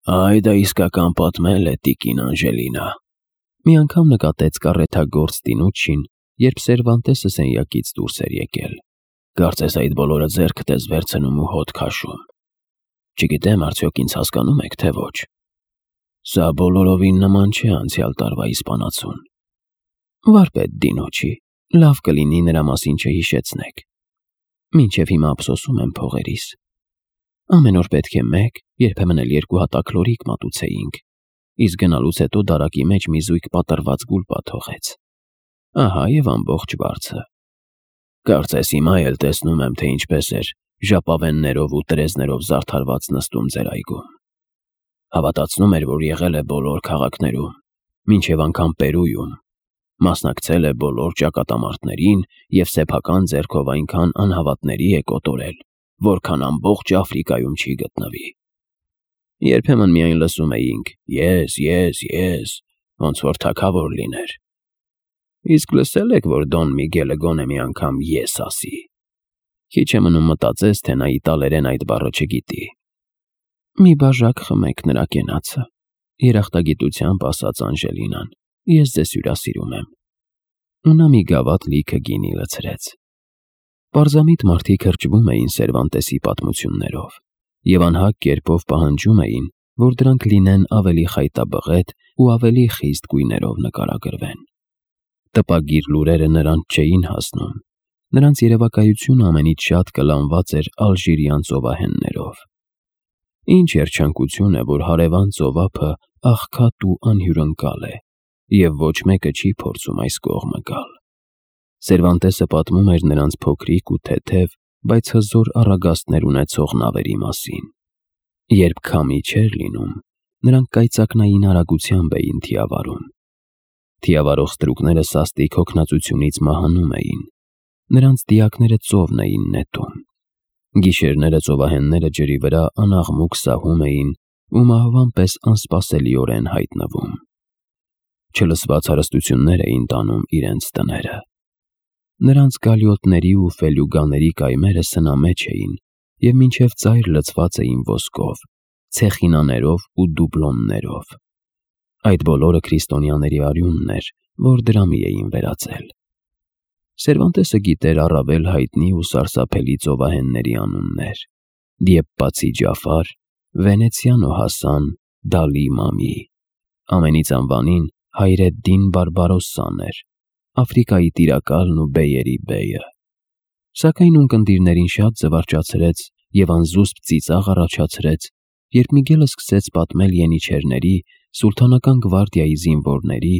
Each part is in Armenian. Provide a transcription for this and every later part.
Այ դա իսկական պատմել է տիկին Անժելինա։ Մի անգամ նկատեց կառեթագործ Տինուչին, երբ Սերվանտեսը սենյակից դուրս էր եկել։ Կարծես այդ բոլորը ձեռքդ ես վերցնում ու հոտ քաշում։ Չգիտեմ, արդյոք ինձ հասկանում եք, թե ոչ։ Սա բոլորովին նման չէ անցյալ տարվա իսպանացուն։ Վարպետ Դինուչի, լավ կլինի նրա մասին չհիշեցնեք։ Մինչև հիմա ափսոսում եմ փողերիս։ Ամեն օր պետք է մեկ, երբեմն էլ երկու հատակ լորիկ մատուցեինք, իսկ գնալուց հետո դարակի մեջ մի զույգ պատռված գուլպա թողեց։ Ահա և ամբողջ վարձը։ Կարծես հիմա էլ տեսնում եմ, թե ինչպես էր ժապավեններով ու տրեզներով զարդարված նստում ձեր այգում։ Հավատացնում էր, որ եղել է բոլոր քաղաքներում, մինչև անգամ Պերույում, մասնակցել է բոլոր ճակատամարտներին և սեփական ձեռքով այնքան անհավատների է կոտորել, որքան ամբողջ Աֆրիկայում չի գտնվի։ Երբեմն միայն լսում էինք. ես, ոնց որ թագավոր լիներ։ Իսկ լսել եք, որ Դոն Միգելը գոնե մի անգամ ես ասի։ Քիչ է մնում մտածես, թե նա իտալերեն այդ բառը չգիտի։ Մի բաժակ խմեք նրա կենացը, երախտագիտությամբ ասաց Անժելինան, ես ձեզ հյուրասիրում եմ։ Ու նա մի գավաթ լիքը գինի լցրեց։ Պարզամիտ մարդիկ հրճվում էին Սերվանտեսի պատմություններով և անհագ կերպով պահանջում էին, որ դրանք լինեն ավելի խայտաբղետ ու ավելի խիստ գույներով նկարագրվեն։ Տպագիր լուրերը նրանց չէին հասնում, նրանց երևակայությունը ամենից շատ կլանված էր ալժիրյան ծովահեններով։ Ինչ երջանկություն է, որ հարևան ծովափը աղքատ ու անհյուրընկալ է, և ոչ մեկը չի փորձում այս կողմը գալ։ Սերվանտեսը պատմում էր նրանց փոքրիկ ու թեթև, բայց հզոր առագաստներ ունեցող նավերի մասին։ Երբ քամի չէր լինում, նրանք կայծակնային արագությամբ էին թիավարում։ Թիավարող ստրուկները սաստիկ հոգնածությունից մահանում էին։ Նրանց դիակները ծովն էին նետում։ Գիշերները ծովահենները ջրի վրա անաղմուկ սահում էին ու մահվան պես անսպասելիորեն հայտնվում։ Չլսված հարստություններ էին տանում իրենց տները։ Նրանց գալյոտների ու ֆելյուգաների կայմերը սնամեջ էին և մինչև ծայր լցված էին ոսկով, ցեխինաներով ու դուբլոններով։ Այդ բոլորը քրիստոնյաների արյունն էր, որ դրամի էին վերածել։ Սերվանտեսը գիտեր առավել հայտնի ու սարսափելի ծովահենների անուններ. Դիեպպացի Ջաֆար, Վենեցիանո Հասան, Դալի Մամի։ Ամենից անվանին Հայրեդդին Բարբարոսսան էր, Աֆրիկայի տիրակալն ու բեյերի բեյը։ Սակայն ունկնդիրներին շատ զվարճացրեց և անզուսպ ծիծաղ առաջացրեց, երբ Միգելը սկսեց պատմել յենիչերների, սուլթանական գվարդիայի զինվորների,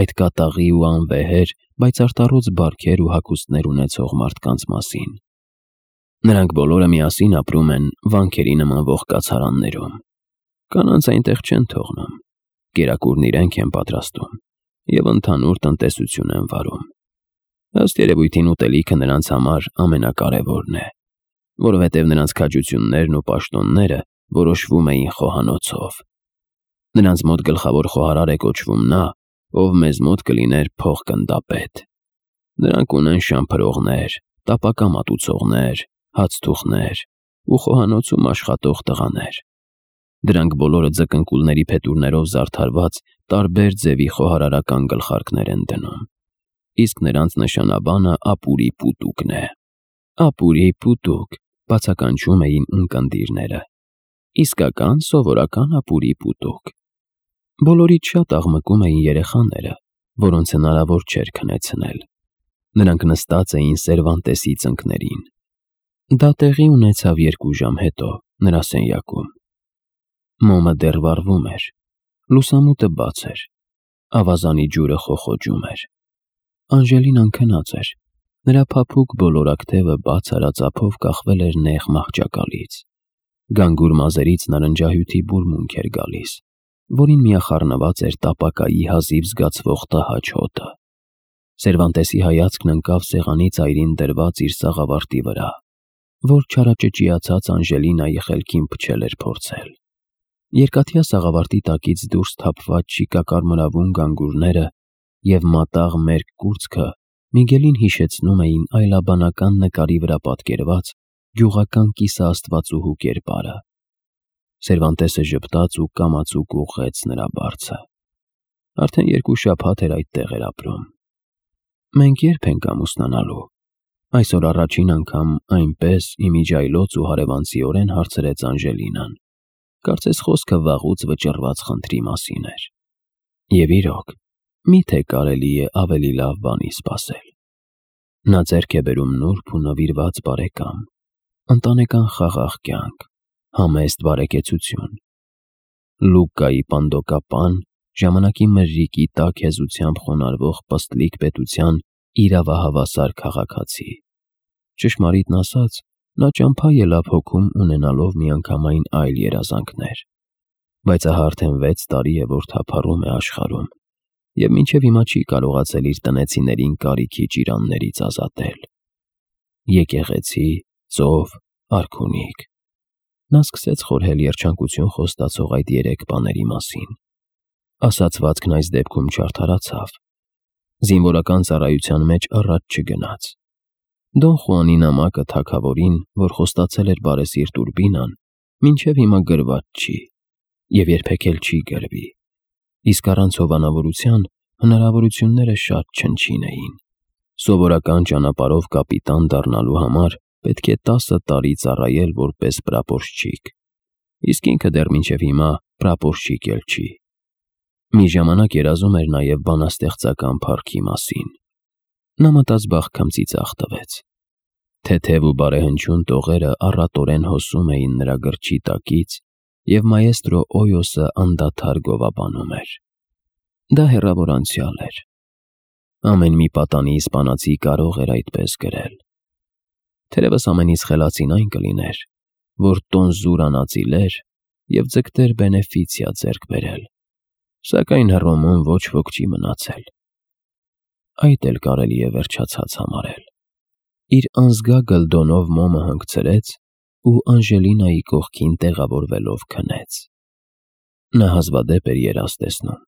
այդ կատաղի ու անվեհեր, բայց արտառոց բարքեր ու հագուստներ ունեցող մարդկանց մասին։ Նրանք բոլորը միասին ապրում են վանքերի նմանվող կացարաններում։ Կանանց այնտեղ չեն թողնում, կերակուրն իրենք են պատրաստում և ընդհանուր տնտեսություն են վարում։ Ըստ երևույթին ուտելիքը նրանց համար ամենակարևորն է, որովհետև նրանց քաջություններն ու պաշտոնները որոշվում էին խոհանոցով։ Նրանց մոտ գլխավոր խոհարար է կոչվում նա, ով մեզ մոտ կլիներ փոխ-գնդապետ։ Նրանք ունեն շամփրողներ, տապակա մատուցողներ, հացթուխներ ու խոհանոցում աշխատող տղաներ։ Դրանք բոլորը ձկնկուլների փետուրներով զարդարված տարբեր ձևի խոհարարական գլխարկներ են դնում, իսկ նրանց նշանաբանը ապուրի պուտուկն է։ Ապուրի պուտուկ, բացականչում էին ունկնդիրները։ Իսկական սովորական ապուրի պուտուկ։ Բոլորից շատ աղմկում էին երեխաները, որոնց հնարավոր չէր քնեցնել։ Նրանք նստած էին Սերվանտեսի ծնկներին։ Դա տեղի ունեցավ 2 ժամ հետո նրա սենյակում։ Մոմը դեռ վառվում էր, լուսամուտը բաց էր, ավազանի ջուրը խոխոջում էր։ Անժելինան քնած էր, նրա փափուկ բոլորակ թևը բաց արած ափով կախվել էր նեղ մահճակալից։ Գանգուր մազերից նարնջահյութի բուրմունք էր գալիս, որին միախառնված էր տապակայի հազիվ զգացվող տհաճ հոտը։ Սերվանտեսի հայացքն ընկավ սեղանի ծայրին դրված իր սաղավարտի վրա, որ չարաճճիացած Անժելինայի խելքին փչել էր փորձել։ Երկաթյա սաղավարտի տակից դուրս թափված շիկակարմրավուն գանգուրները և մատաղ մերկ կուրծքը Միգելին հիշեցնում էին այլաբանական նկարի վրա պատկերված գյուղական կիսաաստվածուհու կերպարը։ Սերվանտեսը ժպտաց ու կամացուկ ուղղեց նրա բարձը։ Արդեն 2 շաբաթ էր այդտեղ էր ապրում։ Մենք երբ ենք ամուսնանալու։ Այսօր առաջին անգամ այնպես իմիջայլոց ու հարևանցիորեն հարցրեց Անժելինան։ Կարծես խոսքը վաղուց վճռված խնդրի մասին էր։ Եվ իրոք, միթե կարելի է ավելի լավ բանի սպասել։ Նա ձեռք է բերում նուրբ ու նվիրված բարեկամ, ընտանեկան խաղաղ կյանք, համեստ բարեկեցություն։ Լուկայի պանդոկապան, ժամանակի մրրիկի տակ հեզությամբ խոնարհվող պստլիկ պետության իրավահավասար քաղաքացի։ Ճշմարիտն ասած, նա ճամփա ելավ հոգում ունենալով միանգամայն այլ երազանքներ, բայց ահա արդեն 6 տարի է, որ թափառում է աշխարհում, և մինչև հիմա չի կարողացել իր տնեցիներին կարիքի ճիրաններից ազատել։ Եկեղեցի, ծով, արքունիք։ Նա սկսեց խորհել երջանկություն խոստացող այդ 3 բաների մասին։ Ասացվածքն այս դեպքում չարդարացավ։ Զինվորական ծառայության մեջ առաջ չգնաց։ Դոն Խուանի նամակը թագավորին, որ խոստացել էր բարեսիրտ Ուրբինան, մինչև հիմա գրված չի և երբեք էլ չի գրվի, իսկ առանց հովանավորության հնարավորությունները շատ չնչին էին։ Սովորական ճանապարհով կապիտան դառնալու համար պետք է 10 տարի ծառայել որպես պրապորշչիկ, իսկ ինքը դեռ մինչև հիմա պրապորշչիկ էլ չի։ Մի ժամանակ երազում էր նաև բանաստեղծական փառքի մասին։ Նա մտածբախ ծիծաղ տվեց։ Թեթև ու բարեհնչյուն տողերը առատորեն հոսում էին նրա գրչի տակից, և մաեստրո Օյոսը անդադար գովաբանում էր։ Դա հեռավոր անցյալ էր։ Ամեն մի պատանի իսպանացի կարող էր այդպես գրել։ Թերևս ամենից խելացին այն կլիներ, որ տոնզուր անածիլեր և ձգտեր բենեֆիցիա ձեռք բերել, սակայն Հռոմում ոչ ոք չի մնացել։ Այդ էլ կարելի է վերջացած համարել։ Իր անզգա գլդոնով մոմը հանգցրեց ու Անժելինայի կողքին տեղավորվելով քնեց։ Նա հազվադեպ էր երազ տեսնում,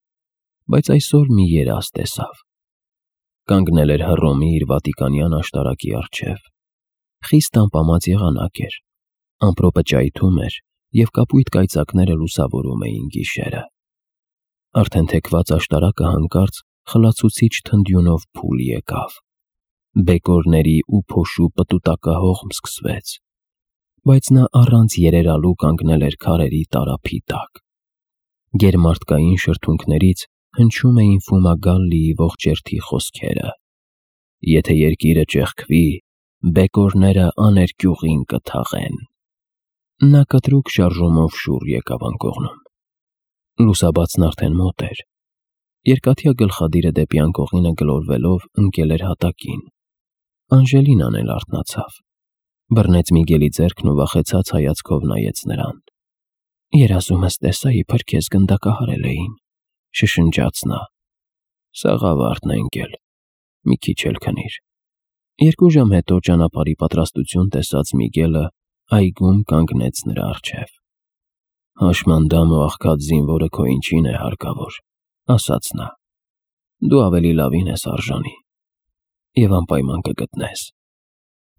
բայց այսօր մի երազ տեսավ։ Կանգնել էր Հռոմի իր վատիկանյան աշտարակի առջև։ Խիստ ամպամած եղանակ էր, ամպրոպը ճայթում էր և կապույտ կայծակները լուսավորում էին գիշերը։ Արդեն թեքված աշտարակը հանկարծ խլացուցիչ թնդյունով փուլ եկավ։ Բեկորների ու փոշու պտուտակահողմ սկսվեց, բայց նա առանց երերալու կանգնել էր քարերի տարափի տակ։ Գերմարդկային շրթունքներից հնչում էին Ֆումագալլիի ողջերթի խոսքերը. «Եթե երկիրը ճեղքվի, բեկորները աներկյուղին կթաղեն»։ Նա կտրուկ շարժումով շուռ եկավ անկողնում։ Լուսաբացն արդեն մոտ էր։ Երկաթյա գլխադիրը դեպի անկողինը գլորվելով ընկել էր հատակին։ Անժելինան էլ արթնացավ, բռնեց Միգելի ձեռքն ու վախեցած հայացքով նայեց նրան։ «Երազումս տեսա, իբր քեզ գնդակահարել էին», շշնջաց նա։ «Սաղավարտն է ընկել, մի քիչ էլ քնիր»։ 2 ժամ հետո ճանապարհի պատրաստություն տեսած Միգելը այգում կանգնեց նրա առջև։ «Հաշմանդամ ու աղքատ զինվորը քո ինչին է հարկավոր», ասաց նա։ «Դու ավելի լավին ես արժանի և անպայման կգտնես»։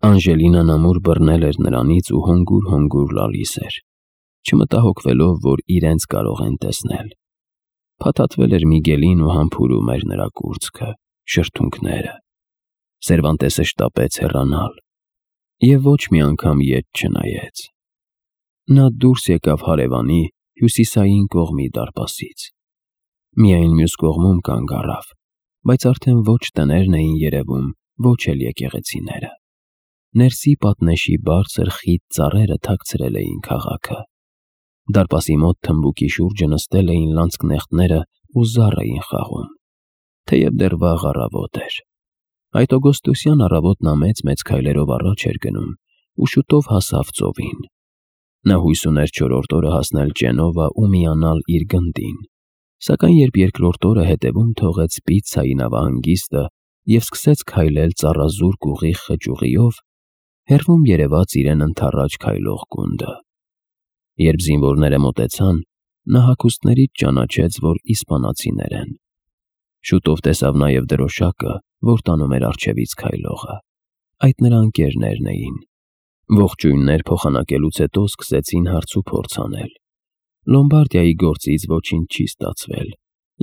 Անժելինան ամուր բռնել էր նրանից ու հոնգուր լալիս էր, չմտահոգվելով, որ իրենց կարող են տեսնել։ Փաթաթվել էր Միգելին ու համբուրում էր նրա կուրծքը, շրթունքները։ Սերվանտեսը շտապեց հեռանալ և ոչ մի անգամ ետ չնայեց։ Նա դուրս եկավ հարևանի հյուսիսային կողմի դարպասից։ Միայն մյուս կողմում կանգ առավ, բայց արդեն ոչ տներն էին երևում, ոչ էլ եկեղեցիները։ Ներսի պատնեշի բարձր խիտ ծառերը թաքցրել էին քաղաքը։ Դարպասի մոտ թմբուկի շուրջը նստել էին լանցկնեխտները ու զառ էին խաղում, թեև դեռ վաղ առավոտ էր։ Այդ օգոստոսյան առավոտն մեծ քայլերով առաջ էր գնում ու շուտով հասավ ծովին։ Նա հույս ուներ 4-րդ օրը հասնել Ջենովա ու միանալ իր գնդին, սակայն երբ երկրորդ օրը հետևում թողեց Պիցայի նավահանգիստը և սկսեց քայլել ծառազուրկ ուղիղ խճուղիով, հեռվում երևաց իրեն ընդառաջ քայլող գունդը։ Երբ զինվորները մոտեցան, նա հագուստներից ճանաչեց, որ իսպանացիներ են։ Շուտով տեսավ նաև դրոշակը, որ տանում էր առջևից քայլողը։ Այդ նրա ընկերներն էին։ Ողջույններ փոխանակելուց հետո սկսեցին հարց ու փորձ անել, Լոմբարդիայի գործից ոչինչ չի ստացվել,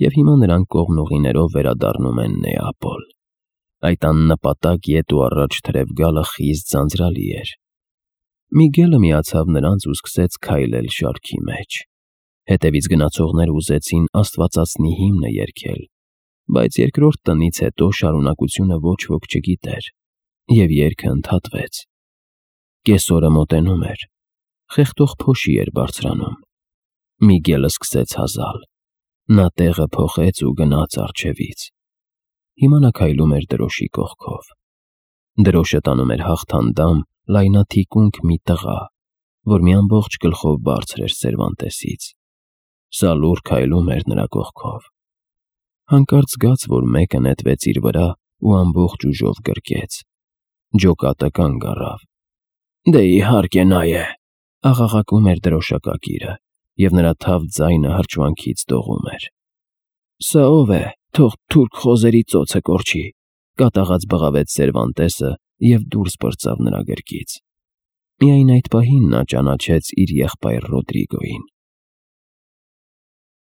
և հիմա նրանք կողմնուղիներով վերադառնում են Նեապոլ։ Այդ աննպատակ ետ ու առաջ թրև գալը խիստ ձանձրալի էր։ Միգելը միացավ նրանց ու սկսեց քայլել շարքի մեջ։ Հետևից գնացողները ուզեցին Աստվածածնի հիմնը երգել, բայց երկրորդ տնից հետո շարունակությունը ոչ ոք չգիտեր, և երգը ընդհատվեց։ Կեսօրը մոտենում էր, խեղդող փոշի էր բարձրանում։ Միգելը սկսեց հազալ։ Նա տեղը փոխեց ու գնաց առջևից։ Հիմա նա քայլում էր դրոշի կողքով։ Դրոշը տանում էր հաղթանդամ լայնաթիկունք մի տղա, որ մի ամբողջ գլխով բարձր էր Սերվանտեսից։ Սա լուռ քայլում էր նրա կողքով։ Հանկարծ զգաց, որ մեկը նետվեց իր վրա ու ամբողջ ուժով գրկեց։ Ջոկատը կանգ առավ։ «Դե իհարկե նա է», աղաղակում էր դրոշակակիրը, և նրա թավ ձայնը հրճվանքից դողում էր։ «Սա ով է, թող թուրք խոզերի ծոցը կորչի», կատաղած բղավեց Սերվանտեսը և դուրս պրծավ նրա գրկից։ Միայն այդ պահին նա ճանաչեց իր եղբայր Ռոդրիգոյին։